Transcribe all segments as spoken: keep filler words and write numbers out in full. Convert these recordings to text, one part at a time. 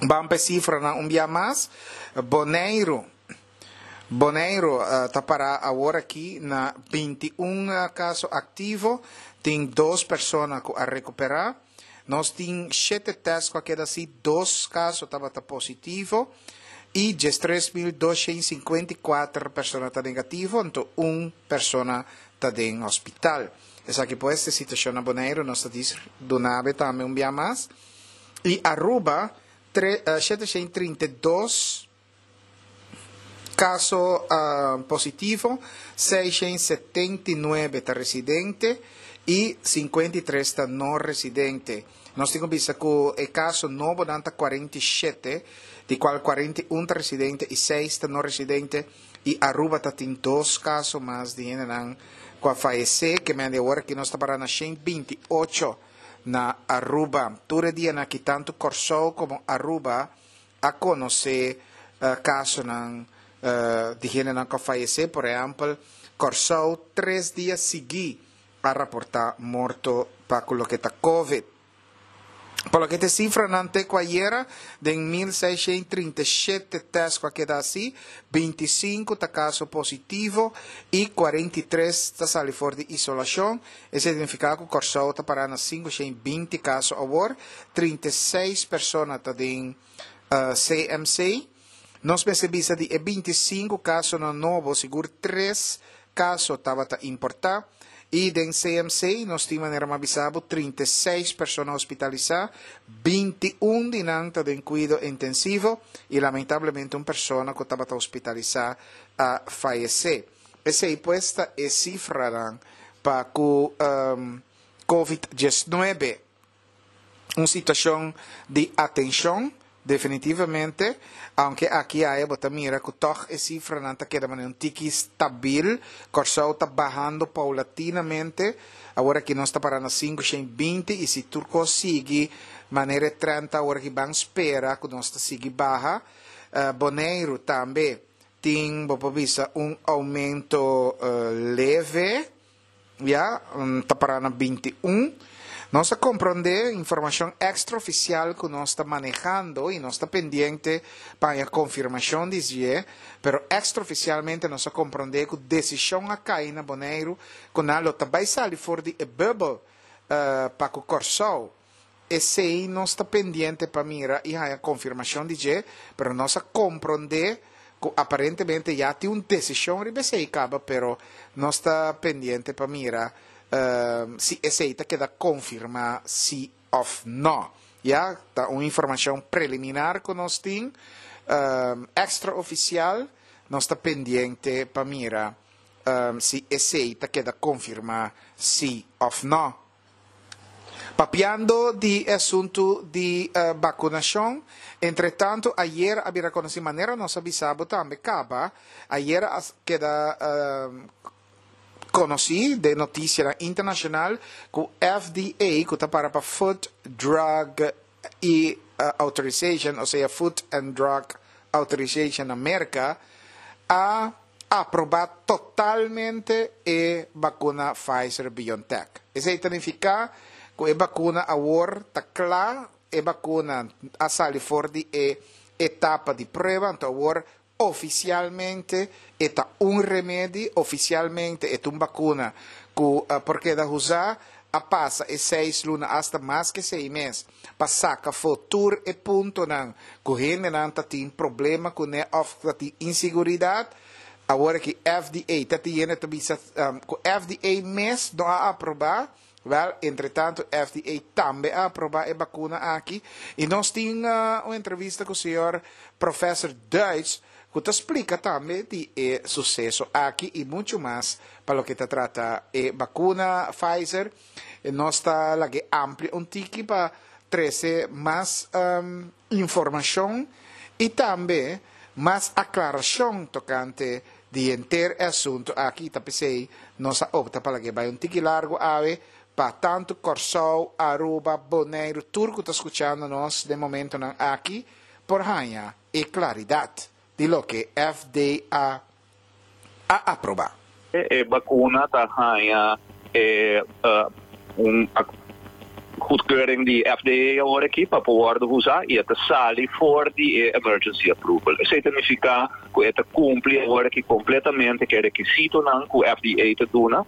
Ban pa sifranan un bia mas. Boneiru. Boneiru uh, ta para awor aki na binti un kaso aktivo. Tin dos persona ku a rekuperá. Nos tin shete tèst ku a keda hasí, dos kaso tabata positivo i diestres mil doshent sinkuenta i kuater persona ta negativo, anto un persona ta den hospital. Esaki pues e situashon na Boneiru, nos ta dis duna bo tambe un bia mas. I Aruba, tre, uh, sheteshent trinta i dos kaso uh, positivo, seishent setenta i nuebe ta residente i sinkuenta i tres ta no residente. Nos tin ku bisa ku e kaso nobonan ta kuarenta i shete, di kual kuarenta i un ta residente i seis ta no residente, i Aruba ta tin dos kaso mas di hendenan ku a fayesé, ke men di awor aki nos ta para na shent binti i ocho na Aruba. Tur e dianan aki tantu Kòrsou komo Aruba a konosé kasonan di hendenan ku a fayesé. Por ehèmpel, Kòrsou tres dia siguí a raportá morto pa ku loke ta Covid. Pa loke ta e sifranan te ku ayera, den mil seishent trinta i shete tèst ku a keda hasí, binti i sinku ta kaso positivo i kuarenta i tres ta sali for di isolashon. Esei ta nifiká ku Kòrsou ta pará na sinku shent binti kaso awor, trinta i seis persona ta den C M C. Nos mester bisa di e binti i sinku kasonan nobo, sigur tres kaso tabata importá. I den C M C nos tin manera m'a bisa bo trinta i seis persona hospitalisá, binti i un di nan ta den kuido intensivo i lamentablemente un persona ku tabata hospitalisá a fayesé. Esei pues ta e sifranan pa ku covid diesnuebe. Un situashon di atenshon definitivamente, aunke aki aya bo ta mira ku tòg e sifranan ta keda manera un tiki stabil. Kòrsou ta bahando paulatinamente. Awor aki nos ta para na sinku shen binti i si tur kos sigui manera e trend ta awor aki ban spera ku nos ta sigui baha. Boneiru tambe tin, bo por bisa, un oumento leve, ya, ta para na binti un. Nos a komprondé informashon extraofisial ku nos ta manehando i nos ta pendiente pa haña konfirmashon di dje, pero extraofisialmente nos a komprondé ku desishon a kai na Boneiru ku nan lo ta bai sali for di e bùbel pa ku Kòrsou. Esei nos ta pendiente pa mira i haña konfirmashon di dje, pero nos a komprondé ku aparentemente ya tin un desishon riba esei kaba, pero nos ta pendiente pa mira si esei ta keda konfirmá si òf nò. Ya, ta un informashon preliminar ku nos tin, ekstraofisial, nos ta pendiente pa mira si esei ta keda konfirmá si òf nò. Papiando di e asuntu di bakunashon, entretantu ayer a bira konosí, manera nos a bisa bo tambe kaba, ayer a keda konosí den notisianan internashonal ku F D A, ku ta para pa Food, Drug i Authorization, osea Food and Drug Authorization na Merka, a aprobá totalmente e bakuna Pfizer-BioNTech. Esei ta nifiká ku e bakuna awor ta kla, e bakuna a sali for di e etapa di prueba, anto awor ofisialmente e ta un remedi, ofisialmente e ta un bakuna ku por keda usá, a pasa e seis luna, asta mas ke seis mes, pa saka afó tur e puntonan ku hendenan ta tin problema kuné òf ta tin inseguridat. Awor aki F D A ta tin hende ta bisa ku F D A mes no a aprobá. Wel, entretanto F D A tambe a aprobá e bakuna aki. I nos tin un entrevista ku señor Professor Duits, ku ta splika tambe di e suseso aki i muchu mas pa loke ta trata e bakuna Pfizer. Nos ta lag'é amplia un tiki pa trese mas informashon i tambe mas aklarashon tokante di henter e asuntu aki. Ta p'esei nos a opta pa lag'é bai un tiki largu awe pa tantu Kòrsou, Aruba, Boneiru, tur ku ta skuchando nos den momentonan aki por haña e klaridat di loke F D A a aprobá. E bakuna ta haña e un Goedkeuring di F D A awor aki pa por usa i ta sali for di emergency approval. Esei ta nifiká ku e ta kumpli awor aki kompletamente ku e rekisitonan ku F D A ta duna.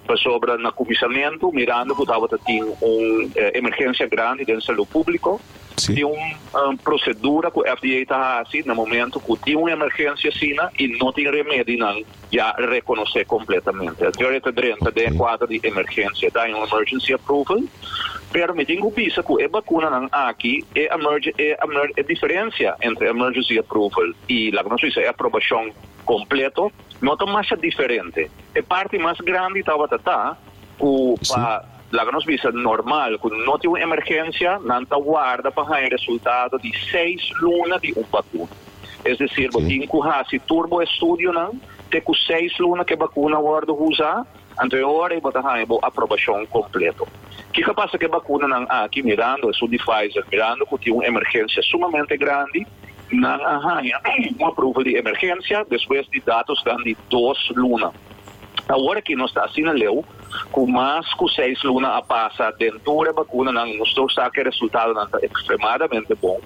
Pasobra na kuminsamentu, mirando ku tabatin un eh, emergensia grandi den salú públiko, Si. tin un, un prosedura ku F D A ta hasi na momento ku tin un emergensia asina i no tin remedinan ya rekonosé kompletamente. Anto ta drenta den kuadro di emergensia, ta un emergency approval, pero mi tin ku bisa ku e vakunanan aki e emerge e, emer, e diferensia entre emergency approval i laga nos bisa e aprobashon kompleto no ta mas diferente. E parti mas grandi tabata ta ku pa, laga nos bisa, normal, ku no tin un emergensia, nan ta warda pa haña resultado di seis luna di un vakuna. Es desir, Ok. bo tin ku hasi tur bo estudionan, te ku seis luna ku e vakuna wòrdu usá, anto ora bo ta haña bo aprobashon kompleto. Kiko a pasa ku e vakunanan aki, mirando esun di Pfizer, mirando ku tin un emergensia sumamente grandi, nan a haña un approval di emergensia despues di datonan di dos luna. Awor ku nos ta asina leu, ku mas ku seis luna a pasa den e vakunanan, nos sa ku e resultadonan ta ekstremadamente bon.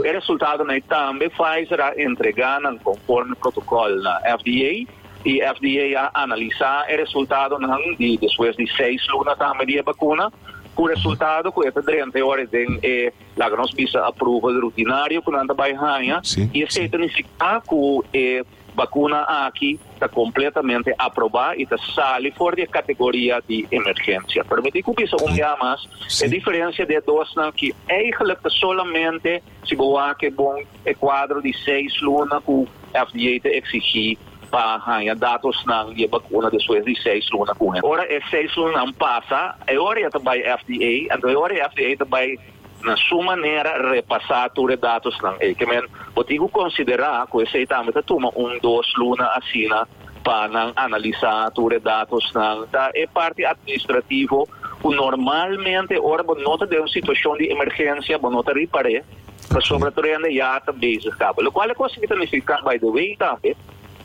E resultadonan tambe Pfizer a entregá nan konforme protokòl na F D A i F D A a analisá e resultadonan di despues di seis luna tambe di vakuna, ku resultado ku e ta drenta awor den e, laga nos bisa, approval rutinario ku nan ta bai haña Si, i esei ta nifiká ku e vakuna aki ta kompletamente aprobá i ta sali for di kategoria di emergensia. Pero mi tin ku bisa un dia mas, Si. e diferensia di dosnan ku eigenlijk ta solamente si bo wak bon e kuadro di seis luna ku F D A ta eksigí pa haña datonan di vakuna despues di seis luna ku. Ora e seis lunanan pasa, e ora ta bai F D A, anto ora F D A ta bai na su manera repasá tur e datonan. E ke men, bo tin ku konsiderá ku esei tambe ta tuma un dos luna asina pa nan analisá tur e datonan. Ta e parti administrativo ku normalmente ora bo no ta den un situashon di emergensia, bo no ta ripar'é, pasobra tur hende ya ta bezig kaba. Lo kual kos ta nifiká, by the way, tambe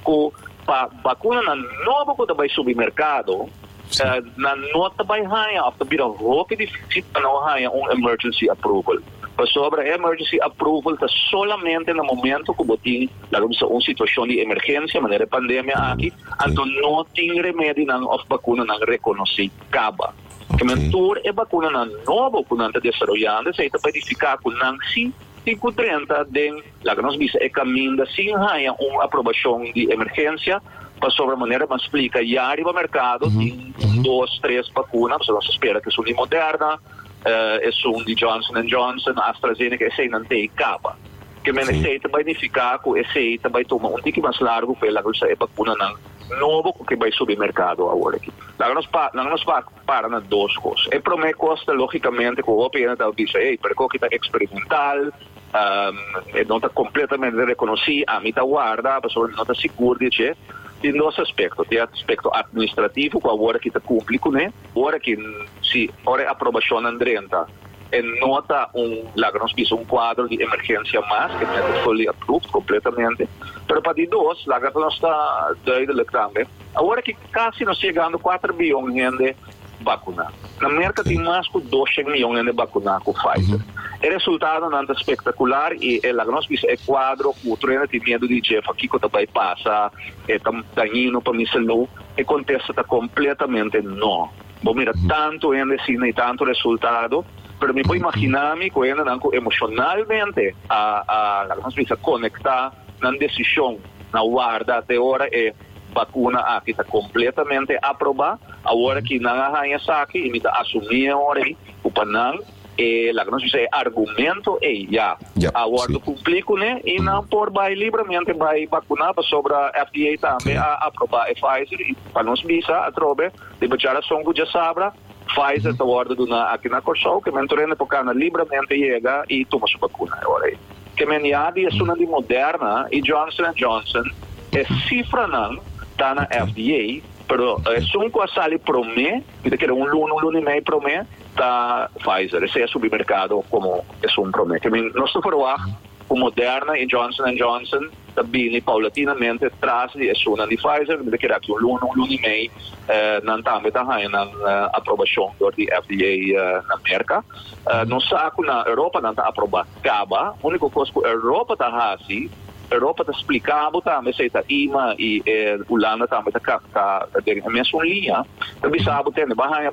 ku pa vakunanan nobo ku ta bai subi merkado, Si. uh, nan no ta bai haña òf ta bira hopi difísil pa nan haña un emergency approval. Pasobra emergency approval ta solamente na momento ku bo tin, laga bisa, un situashon di emergensia, manera pandemia aki, anto no tin remedinan òf vakunanan rekonosí kaba. Ok. Ke men tur e vakunanan nobo ku nan ta desaroyando, esei ta nifiká ku nan si tin ku drenta den, laga nos bisa, e kaminda sin haña un aprobashon di emergensia, pasobra manera m'a splika, ya riba merkado tin dos, tres vakuna, so nos ta spera ku esun di Moderna, uh, esun di Johnson Johnson, AstraZeneca, eseinan t'ei kaba. Ke men Si. esei ta bai nifiká ku esei ta bai tuma un tiki mas largu pa laga e vakunanan nobo ku bai subi merkado awor aki. Laga nos pa, laga nos pa para na dos kos. E promé kos, lógikamente, ku hopi hende ta bisa: "Hey, pero ku ta eksperimental, um, e no ta kompletamente rekonosí, ami ta warda, pasobra no ta sigur di dje." Tin dos aspekto. Tin aspekto administrativo, ku awor aki ta kumpli kuné. Awor aki, si ora aprobashon drenta, e no ta un, laga nos bisa, un kuadro di emergensia mas, ku ta fully approved kompletamente. Pero pa di dos, laga nos ta duidelijk tambe. Awor aki kasi nos yegando kuater mion hende vakuná. Na Merka tin mas ku dos mion hende vakuná ku Pfizer. E resultadonan ta espektakular i e, laga nos bisa, e kuadro ku tur hende tin miedu di dje, kiko ta bai pasa, e ta dañino pa mi salú, e kontesta ta kompletamente no. Bo mira tantu hende asina i tantu resultado, pero mi por imaginá mi ku hendenan ku emoshonalmente a a laga nos bisa, konektá nan desishon na warda te ora e vakuna aki ta kompletamente aprobá. Awor aki nan a haña esaki i mi ta asumí awor ei ku pa nan e, laga nos bisa, e argumento ei ya Ja, awor si. kumpli kuné i nan por bai liberamente bai vakuná pasobra F D A tambe a aprobá e Pfizer i pa nos bisa atrobe di djarason ku djasabra Pfizer ta wòrdu duná aki na Kòrsou, ke men tur hende por kana liberamente yega i tuma su vakuna awor ei. Ke men ya di esun di Moderna i Johnson Johnson e sifranan ta na F D A, pero esun ku a sali promé, ku ta un luna, un luna i mei promé, ta Pfizer. Esei a subi merkado komo esun promé. Ke men nos ta verwacht Ku Moderna i Johnson Johnson ta bini paulatinamente tras di esun di Pfizer, di ku aki un luna, un luna i mei, eh, nan tambe ta haña uh, aprobashon dor di F D A uh, na Merka. Uh, nos sa ku na Europa nan ta aprobá kaba, úniko kos ku Europa ta hasi, Europa ta splika tambe, sea ta E M A i eh, Hulanda tambe ta ta den mesun liña, tambe sa bo tende, bai haña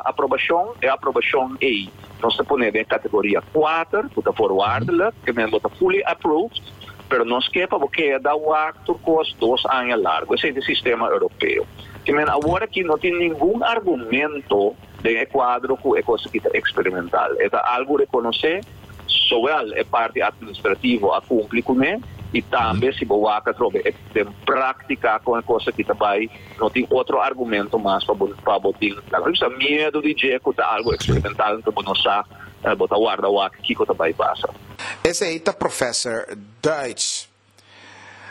aprobashon, e aprobashon ei nos ta pone den kategoria kuater, ku ta voorwaardelijk, ke men ta fully approved, pero nos ke pa bo keda wak tur kos dos aña largu. Esei ta e sistema europeo. Ke men awor aki no tin ningun argumento den kuadro ku e kos aki ta eksperimental. E ta algu rekonosé, zowel e parti atministrativo a kumpli kuné, i tambe si bo wak atrobe den práktika ku e kos aki ta bai, no tin otro argumento mas pa pa bo tin la miedu di dje ku ta algu eksperimental, anto no sa, bo ta warda wak kiko ta bai pasa. Esei ta professor Duits.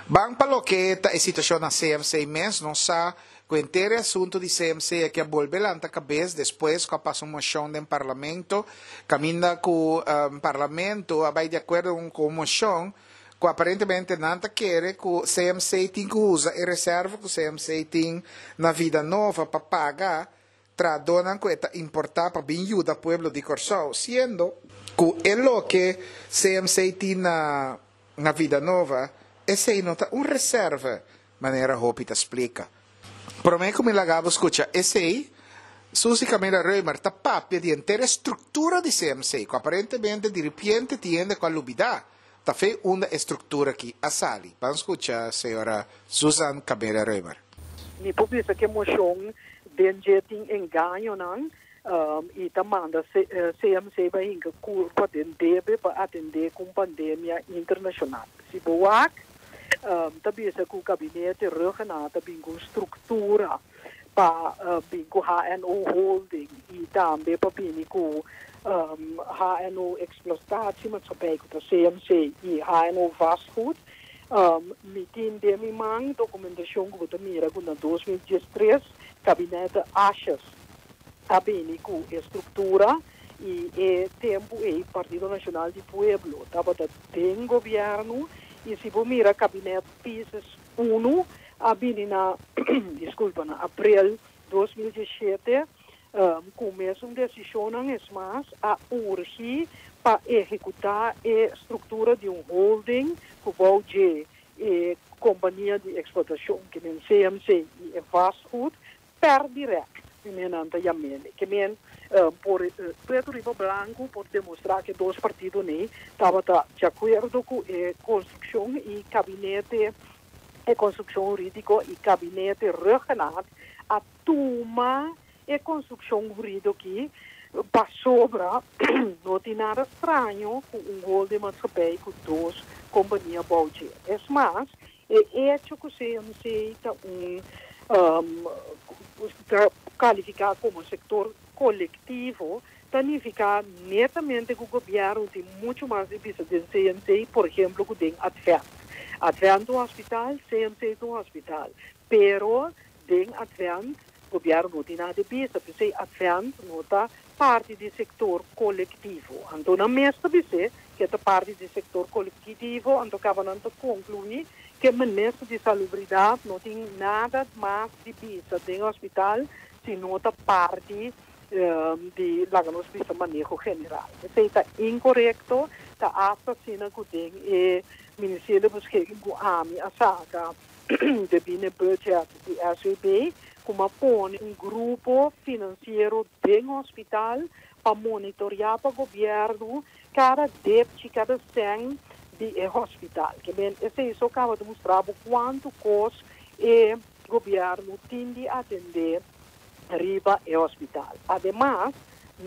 Ban pa loke ta e situashon na C M C mes. Nos sa ku henter asuntu di C M C ku a bolbe lanta kabes despues ku a pasa un moshon den parlamento, kaminda ku um, parlamento a bai di akuerdo ku e moshon ku aparentemente nan ta kere ku C M C tin ku usa e reserva ku C M C tin na Vida Nova pa paga trahadónan ku ta importá pa bin yuda pueblo di Kòrsou, siendo ku e loke C M C tin na, na Vida Nova, esei no ta un reserva, manera hopi ta splika. Promé ku mi laga bo skucha esei, Suzy Camelia Römer ta papia di henter struktura di C M C, ku aparentemente di repente tin ku a lubidá. Ta for di unda e struktura aki a sali. Ban skucha señora Susan Camelia Römer. Mi por bisa ku e moshon den dje tin engaño nan um, i ta manda C M C pa hinka kurpa den debe pa atendé ku pandemia internashonal. Si bo wak, um, ta bisa ku gabinete Rhuggenaath bin ku struktura pa uh, bin ku H N O Holding i tambe pa bin ku um, H N O Exploitatiemaatschappij, ku C M C i H N O Vastgoed. Um, mi tin den mi man dokumentashon ku ta mira ku na dos mil diestres gabinete Asjes a bini ku struktura i e tempu e Partido Nashonal di Pueblo tabata den gobièrnu. I si bo mira gabinete Pisas un a bini na, diskulpa, na aprel dos mil diesshete um, ku mesun desishon, es mas, a urgi pa ehekutá e struktura di un holding ku e e kompania di eksplotashon ke men C M C i vastgoed per direct men anta yam'é ke men uh, por uh, pretu riba blanku por demostrá ku dos partido ne tabata di akuerdo ku e konstrukshon i gabinete e konstrukshon hurídiko i gabinete Rhuggenaath a tuma e konstrukshon hurídiko aki pasobra no tin nada straño ku un holding maatschappij ku dos kompania bou dje. Es mas, e hecho ku C M C ta un um, ta kalifiká komo sektor kolektivo, signifiká netamente ku gobièrnu tin muchu mas di bisa di C M C, por ehèmpel, ku den Advent. Advent un hospital, C M C un hospital. Pero den Advent, gobièrnu no tin nada di bisa, pasobra Advent no ta parti di sektor kolektivo. Anto, na mes ta bisa ku ta parti di sektor kolektivo, anto kaba nan ta konkluí ku minister di Salubridat no tin nada mas di bisa den hospital, sino ta parti um, di laga nos bisa maneho general. Esei ta inkorekto, ta hasta asina ku den e ministerio beschikking ku ami a saka di binnen budget di S W B, ku a pone un grupo finansiero den hospital pa monitoreá pa gobièrnu kada debe, kada sèn di e hospital. Ke men, esei so kaba di mustra kuantu kos e gobièrnu tin di atendé riba e hospital. Ademas,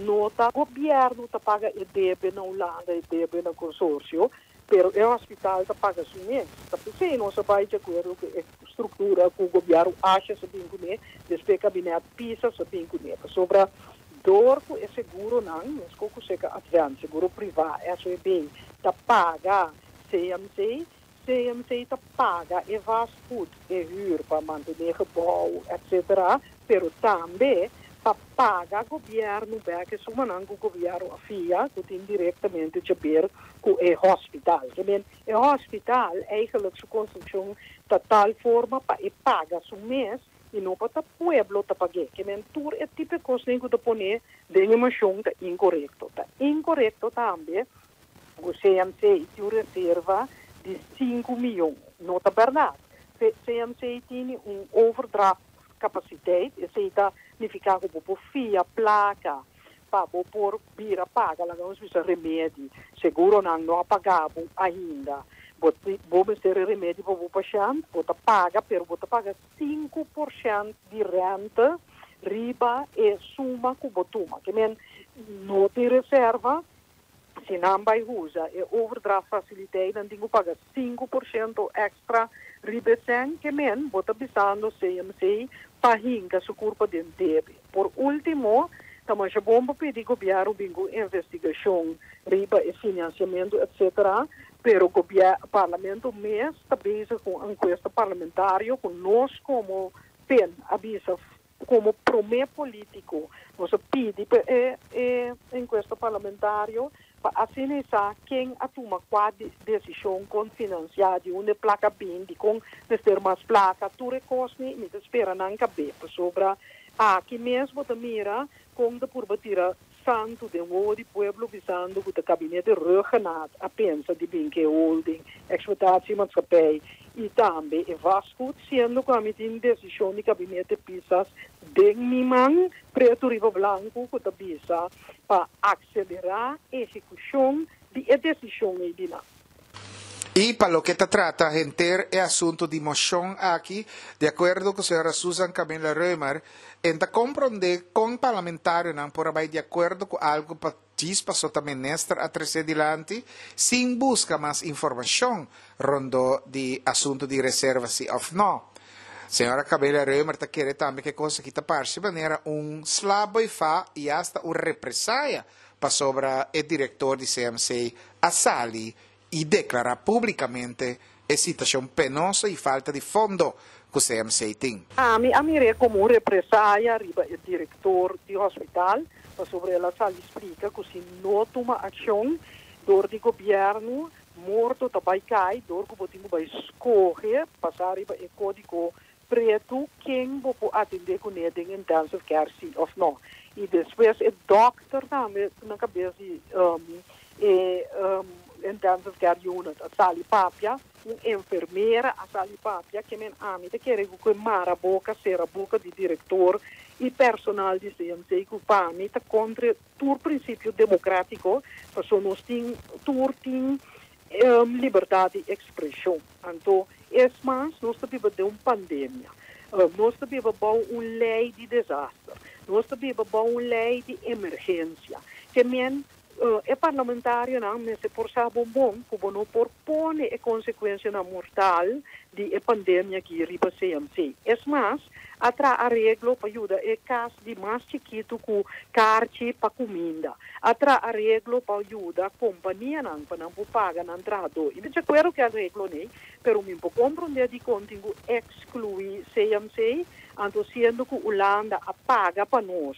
no ta gobièrnu ta paga e debe na Hulanda e debe na konsorsio, pero e hospital ta paga su mes. Ta p'esei nos a bai di akuerdo ku e struktura ku gobièrnu Asjes a bin kuné, despues gabinete Pisas a bin kuné. Pasobra dor ku e seguro nan, meskos ku serka Advent, seguro privá, S W B, ta paga C M C, C M C ta paga e vastgoed, e huur pa mantené gebouw, et cetera. Pero tambe Pa paga gobièrnu bèk e sumanan ku gobièrnu a fia, ku tin direktamente di haber ku e hospital. Ke men, e hospital eigenlijk su konstrukshon ta tal forma pa e paga su mes i no pa ta pueblo ta pag'é. Ke men, tur e tipo kos ku ta pone den moshon ta inkorekto. Ta inkorekto tambe ku C M C tin un reserva di sinku mion. No ta bèrdat. C M C tin un overdraft capaciteit, esei ta nifiká ku bo fia plaka pa bo por bira paga, laga nos bisa remedi. Seguronan no a paga ainda. Bo bo mester remedi pa bo pashènt, bo ta paga, pero bo ta paga sinku porshento di rente riba e suma ku bo tuma. Ke men, no tin reserva, si nan bai usa e overdraft faciliteit, dan tin ku paga sinku porshento èkstra riba esei. Ke men, bo ta bisando C M C pa hinka su kurpa den debe. Por último, ta masha bon pa pidi gobièrnu bin ku investigashon riba e finansiamentu, et cetera. Pero gobièrnu, parlamento mes ta bezig ku enkuesta parlamentario, ku nos komo P E N a bisa komo promé polítiko, nos a pidi e, e enkuesta parlamentario pa asina ken a tuma kua desishon kon finansiá, di unda plaka a bin, di kon mester mas plaka, tur e kosnan. Mi ta spera nan kab'é, pasobra aki mes bo ta mira kon ta purba tira santu den wowo di pueblo, bisando ku e gabinete Rhuggenaath a pensa di bin ku holding, exploitatiemaatschappij i tambe e vastgoed, siendo ku ami tin desishon di gabinete Pisas den mi man, pretu riba blanku, ku ta bisa pa aselerá ehekushon di e desishon ei di nan. I pa loke ta trata henter e asuntu di moshon aki, di akuerdo ku señora Susan Camilla Römer, e n' ta komprondé kon parlamentarionan por bai di akuerdo ku algu pa djis paso ta minister a trese dilanti, sin buska mas informashon rondó di asuntu di reserva si òf no. Señora Camilla Römer ta kere tambe ku e kos aki ta parse manera un sla boi fa i hasta un represalia pasobra e direktor di C M C a sali i deklará públikamente e situashon penoso i falta di fondo ku C M C tin. Ami a mir'é komo un represalia riba e direktor di hospital, pasobra el a sali splika ku si no tuma akshon dor di gobièrnu, morto ta bai kai, dor ku bo tin bai skohe, pasa riba e kódigo pretu, ken bo por atendé kuné den intensive care si òf no. I despues e dòkter tambe na kabes di um, e um, intensive care unit a sali papia, un enfermera a sali papia. Ke men, ami ta kere ku mara boka, sera boka di direktor i personal di C M C, ku pa mi ta kontra tur prinsipio demokrátiko, paso nos tin tur tin um, libertat di ekspreshon. Anto, es mas, nos ta biba den un pandemia. Uh, nos ta biba bou un lei di desaster. Nos ta biba bou un lei di emergensia. Ke men, uh, e parlamentarionan mester por sa bon bon, ku no por pone e konsekuensianan mortal di e pandemia aki riba C M C. Es mas, a traha areglo pa yuda e kas di mas chikitu ku karchi pa kuminda. A traha areglo pa yuda kompanianan pa nan paga nan trahadó. I mi di akuerdo ku areglo ne, pero mi por komprondé di kon tin ku ekskluí C M C, anto siendo ku Hulanda a paga pa nos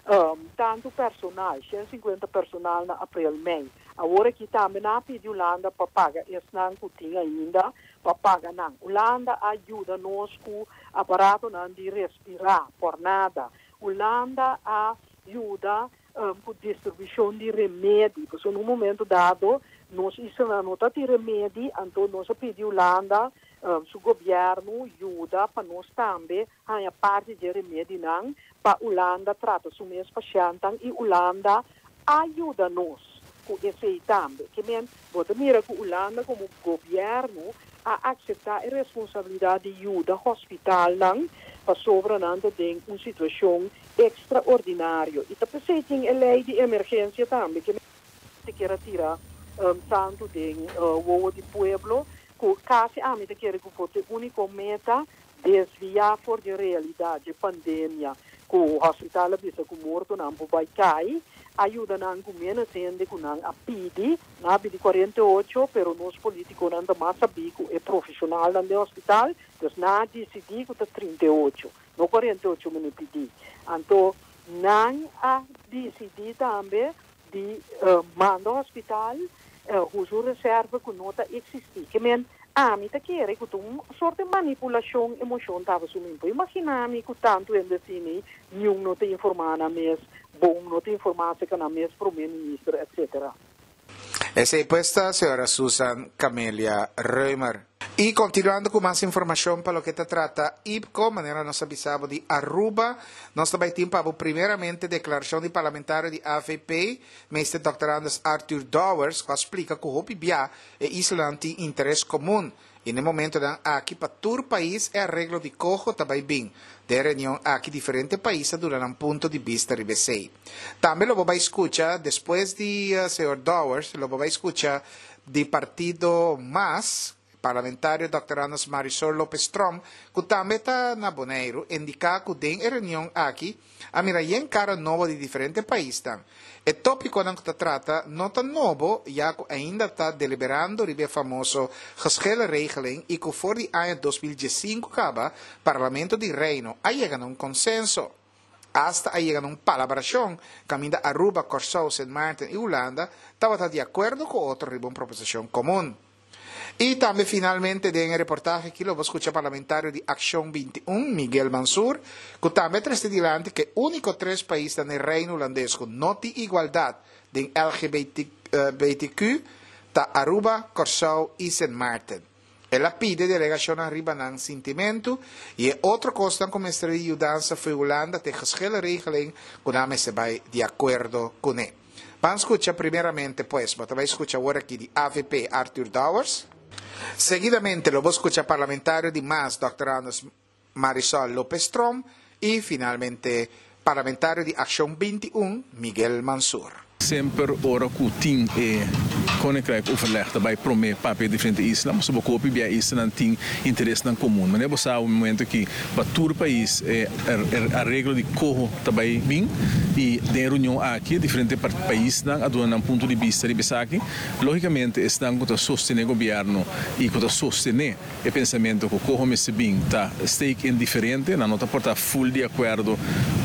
um, tantu personal, shen sinkuenta personal na aprel, mei. Awor aki tambe nan a pidi Hulanda pa paga esnan ku tin ainda, pa paga nan. Hulanda a yuda nos ku aparatonan di respirá, por nada. Hulanda a yuda um, ku distribushon di remedi, pasobra na un momento dado, nos isla no tabatin remedi, anto nos a pidi Hulanda, um, su gobièrnu yuda pa nos tambe haña parti di remedinan pa Hulanda trata su mes pashèntnan, i Hulanda a yuda nos ku esei tambe. Ke men, bo ta mira ku Hulanda komo gobièrnu a aseptá e responsabilidat di yuda hospitalnan pasobra nan ta den un situashon ekstraordinario. I ta p'esei tin e lei di emergensia tambe, ke ta ke tira um, santu den uh, wowo di pueblo, ku kasi ami ta kere ku e úniko meta desviá for di realidat di pandemia, ku hospital bisa ku mortonan por bai kai, a yuda nan ku menos hende ku nan a pidi, nan a pidi kuarenta i ocho, pero nos polítikonan ta mas sabí ku e profeshonalnan di hospital, dus nan a disidí ku ta trinta i ocho, no kuarenta i ocho mi pidi. Anto, Nan a disidí tambe di uh, manda hospital uh, usa reserva ku no ta eksistí. Ke men, ami ta kere ku un sorto di manipulashon e moshon tabata asumiendo. Imaginá mi ku tantu hende asina, ningun no ta informá nan mes, bon, no ta informá ku nan mes promé minister, et cetera. Esei pues ta señora Susan Camelia Römer. I kontinuando ku mas informashon pa loke ta trata I P C O, manera nos a bisa bo di Aruba, nos tambe tin pa primeramente deklarashon di parlamentario di A V P, Mister Doctor Andres Arthur Dowers, ku a splika ku hopi bia e islanan tin interes komun. I na e momentonan aki pa tur pais e areglo di coho tambe bin. Den reunion aki diferente pais a duna un punto di bista riba esei. Tambe lo bai skucha, despues di uh, señor Dowers, lo bai skucha di partido MAS, parlamentario Doctor Anders Marisol Lopez Tromp, ku tambe ta na Boneiru, indiká ku den reunion aki, a mira yen kara nobo di diferente pais. E tópikonan ku ta trata no ta nobo, ya ku ainda ta deliberando e famoso geschillenregeling i ku for di aña dos mil diesinku kaba, Parlamento di Reino a yega na un konsenso. Hasta a yega na un palabrashon, kaminda Aruba, Kòrsou, Sint Maarten i Hulanda tabata di akuerdo ku otro riba un proposishon komun. I tambe finalmente den reportahe aki lo bo skucha parlamentario di Akshon binti un, Miguel Mansur, ku tambe a trese dilanti ku úniko tres pais den Reino Hulandes ku no tin igualdat di L G B T Q ta Aruba, Kòrsou i Sint Maarten. El a pidi delegashon riba nan sintimentu i otro kos ku mester yudansa for di Hulanda ta geschillenregeling ku nan mester bai di akuerdo kuné. Ban skucha primeramente, pues, bo bai skucha awor aki di A V P Arthur Dowers. Seguidamente lo bo skucha parlamentario di MAS, Doctor Anders Marisol Lopez Tromp, i finalmente parlamentario di Akshon binti un, Miguel Mansur. Semper ora ku tin e Koninkrijk overleg daarbij promé papia diferente isla, mas bo kopi bia isla tin interesnan komun. Ma bo sa un momento ku pa tur pais e areglo di coho tambe bin i den reunion aki diferente paisnan a duna un punto di bista di esaki. Lógikamente esnan ku ta sostené gobièrnu i ku ta sostené e pensamentu ku coho mester bin ta steek in diferente, nan no ta por ta full di akuerdo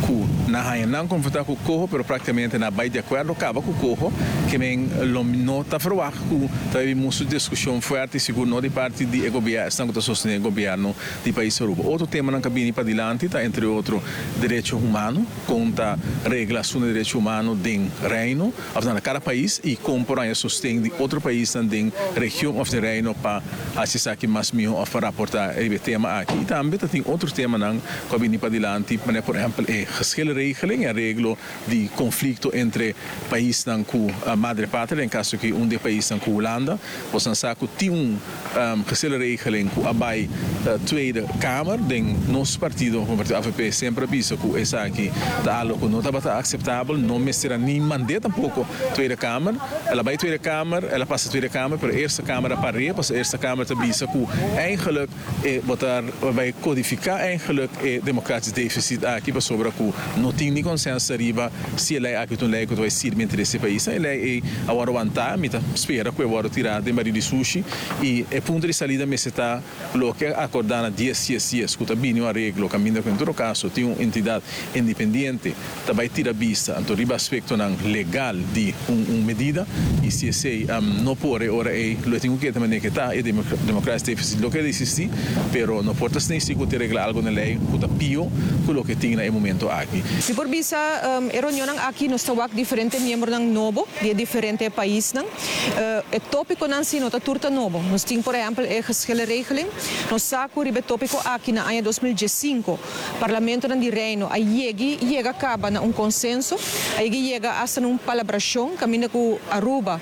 ku nan nan konfortabel ku coho, pero práktikamente nan a bai di akuerdo kaba ku coho, ke men lo no ta verwacht ku ta mucho diskushon fuerte, sigur no di parti di gobièrnu, esnan ku ta sostené gobièrnu di pais Aruba. Otro temanan ku a bini padilanti ta entre otro derecho humano, kon ta regla e derecho humano den Reino, òf na kada pais i kon por sosten di otro pais den region òf den Reino pa hasi mas mihó òf pa raportá e tema aki. I tambe tin otro temanan ku a bini padilanti, por ehèmpel, e geschillenregeling, areglo di konflikto entre paisnan ku madre patria, den kaso ku un di e paisnan ku Hulanda, bo sa ku tin un um, geschillenregeling ku a bai uh, Tweede Kamer, den nos partido, e partido A V P, semper a bisa ku esaki ta algu ku no tabata aseptabel, no mester ni mand'é tampoko Tweede Kamer. El a bai Tweede Kamer, el a pasa Tweede Kamer, pero Eerste Kamer a par'é, pas Eerste Kamer ta bisa ku eigenlijk eh, bo ta bai kodifiká eigenlijk eh, democratisch deficit aki pasobra ku no tin ni konsenso ariba si e lei aki ta un lei ku ta sirbi interes di pais. E lei ei awor wanta, mi ta spera ku awor tira den barí di sushi i e punto di salida mester ta loke a akordá na dies dies dies, ku ta bini un areglo kaminda ku en todo kaso tin un entidat independiente ta bai tira bista anto riba aspektonan legal di un, un medida i si esei um, no por ora ei lo tin ku tambe ku ta e democratisch deficit lo keda eksistí, pero no por ta si ku regla algu na lei ku ta pió ku loke tin na e momento aki. Si por bisa um, e reunion aki nos ta wak diferente miembronan nobo di diferente paisnan. Uh, e tópikonan si no ta tur ta nobo. Nos tin, por ehèmpel, e geschillenregeling. Nos sa ku riba e tópiko aki na aña dos mil diesinko, Parlamento di Reino a yega yega kaba na un konsenso, a yega hasta un palabrashon, kaminda ku Aruba,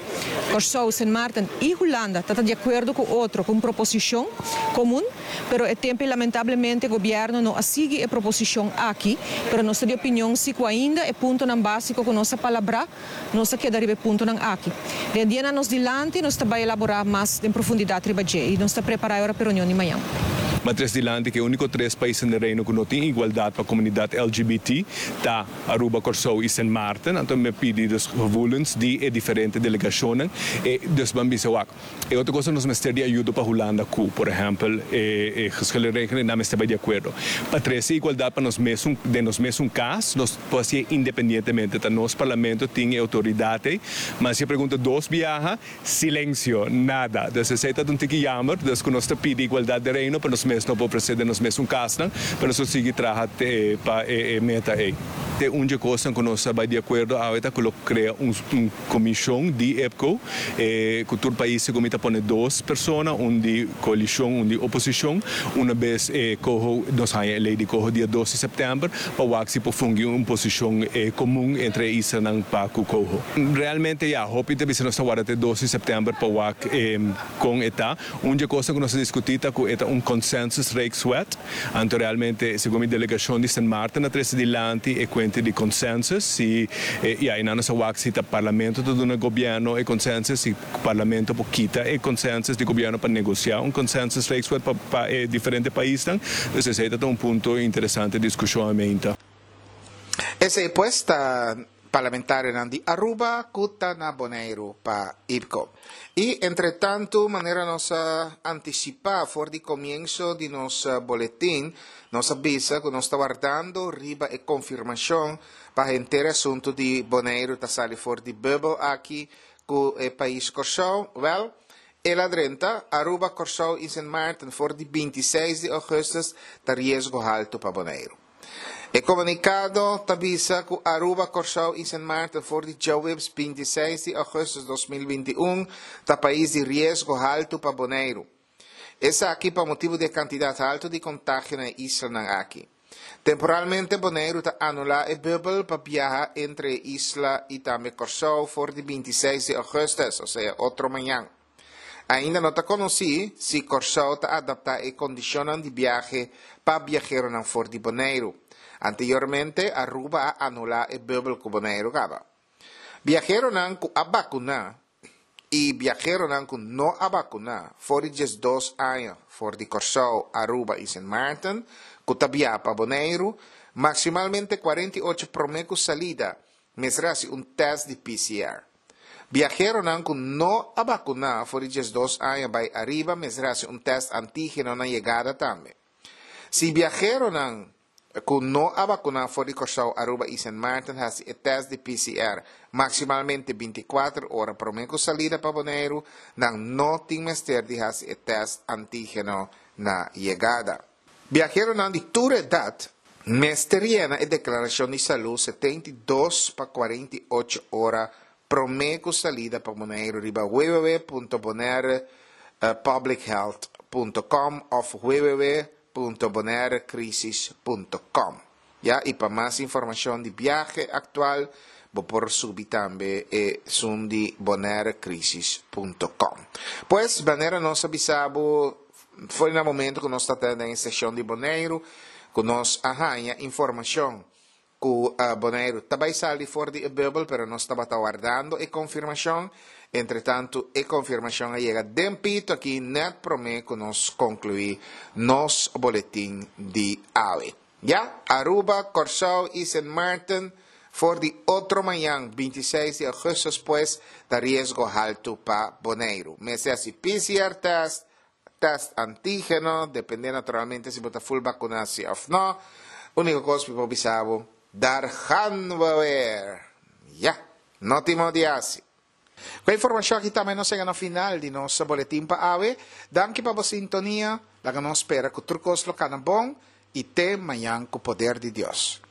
Kòrsou, Sint Maarten i Hulanda ta di akuerdo ku otro, ku un proposishon komun, pero e tempu lamentablemente gobièrnu no a sigui e proposishon aki, pero nos ta di opinion si ku ainda e puntonan básiko ku nos a palabrá, nos a keda riba e puntonan aki. Den dianan nos dilanti nos ta bai elaborá mas den profundidat riba dje i nos ta prepará pa e reunion di mañan. Ma trese dilanti ku e úniko tres paisnan den Reino ku no tin igualdat pa komunidat L G B T ta Aruba, Kòrsou i Sint Maarten. Anto mi a pidi dus gevoelens di e diferente delegashonnan e dus ban bisa wak. E otro kos, nos mester di ayudo pa Hulanda ku, por ehèmpel, e, e geschillenregeling, nan mester bai di akuerdo. Pa trese igualdat pa nos mes, den nos mes kas, nos por independientemente, ta nos parlamento tin outoridat, ma si pregunta dos biaha, silensio, nada. Dus esei ta un tiki jammer, dus ku nos ta pidi igualdat den Reino, pa nos mes no por presente nos mes kas, pero nos sigui traha pa e, e meta ei. Te un kos ku nos bai di akuerdo awor ku lo krea un, un komishon di IPKO, eh, ku tur pais ku ta pone dos persona, un di koalishon, un di oposishon, un bes eh, coho, nos haña lei di coho dia dos di sèptèmber, pa wak si por fungi un posishon eh, komun entre islanan pa ku coho. Realmente ja, hopi ta bisa nos ta warda te dos di sèptèmber pa wak eh, kon e ta. Un kos ku nos a diskutí ta ku e ta un consensus rijkswet, anto realmente segun e delegashon di Sint Maarten a trese dilanti e kuenta di consensus, si eh, ja, i nos a wak si ta parlamento ta duna gobièrnu e consensus, si parlamento por kita e consensus di gobièrnu pa negosiá un consensus rijkswet pa, pa eh, diferente paisnan. Dus esei ta un punto interesante di diskushon ainda. Esei pues ta parlamentarionan di Aruba ku ta na Boneiru pa IPKO. I entre tantu, manera nos a antisipá for di komienso di nos boletin, nos a bisa ku nos ta wardando riba e konfirmashon pa henter asuntu di Boneiru ta sali for di bubbel aki ku e pais Kòrsou. Wel, el a drenta, Aruba, Kòrsou i Sint Maarten for di bintiseis di ougùstùs ta riesgo haltu pa Boneiru. E komunikado ta bisa ku Aruba, Kòrsou i Sint Maarten for di djaweps bintiseis di ougùstùs dos mil bintiun ta pais di riesgo haltu pa Boneiru. Esaki pa motibu di kantidat haltu di kontagio na e islanan aki. Temporalmente Boneiru ta anulá e bubbel pa biaha entre isla i tambe Kòrsou for di bintiseis di ougùstùs, osea otro mañan. Ainda no ta konosí si Kòrsou ta adaptá e kondishonnan di biahe pa biaheronan for di Boneiru. Anteriormente, Aruba a anulá e bubbel ku Boneiru kaba. Biaheronan ku a vakuná i biaheronan ku no a vakuná for di diesdos aña for di Kòrsou, Aruba i Sint Maarten, ku ta biaha pa Boneiru, maksimalmente kuarenta i ocho promé ku salida, mester hasi un tèst di P C R. Biaheronan ku no a vakuná for di diesdos aña bai ariba, mester hasi un tèst antígeno na yegada tambe. Si biaheronan ku no a vakuná for di Kòrsou, Aruba i Sint Maarten hasi e tèst di P C R maksimalmente bintikuater ora promé ku salida pa Boneiru, nan no tin mester di hasi e tèst antígeno na yegada. Biaheronan di tur edat mester yena e deklarashon di salú setenta i dos pa kuarenta i ocho ora promé ku salida pa Boneiru riba w w w punto bonairepublichealth punto com òf w w w punto bonairecrisis punto com. Ja, i pa mas informashon di biahe aktual, bo por subi tambe esun di bonairecrisis punto com. Pues, manera nos a bisa bo, for di momento ku nos tabata den seshon di Boneiru, ku nos a haña informashon ku uh, Boneiru ta bai sali for di bubbel, pero nos tabata wardando e konfirmashon. Entre tantu, e konfirmashon a yega den pito aki net promé ku nos konkluí nos boletin di awe. Ja, Aruba, Kòrsou i Sint Maarten for di otro mañan, bintiseis di ougùstùs, pues, ta riesgo haltu pa Boneiru. Mester hasi P C R test, test antígeno, dependé naturalmente si bo ta full vakuná òf no. Úniko kos ku bisa bo, daar gaan we weer. Ja, no tin di hasi. Ku e informashon aki tambe nos a yega na final di nos boletin pa awe. Danki pa e sintonia. Laga nos spera ku tur kos lo kana bon i te mañan ku poder di Dios.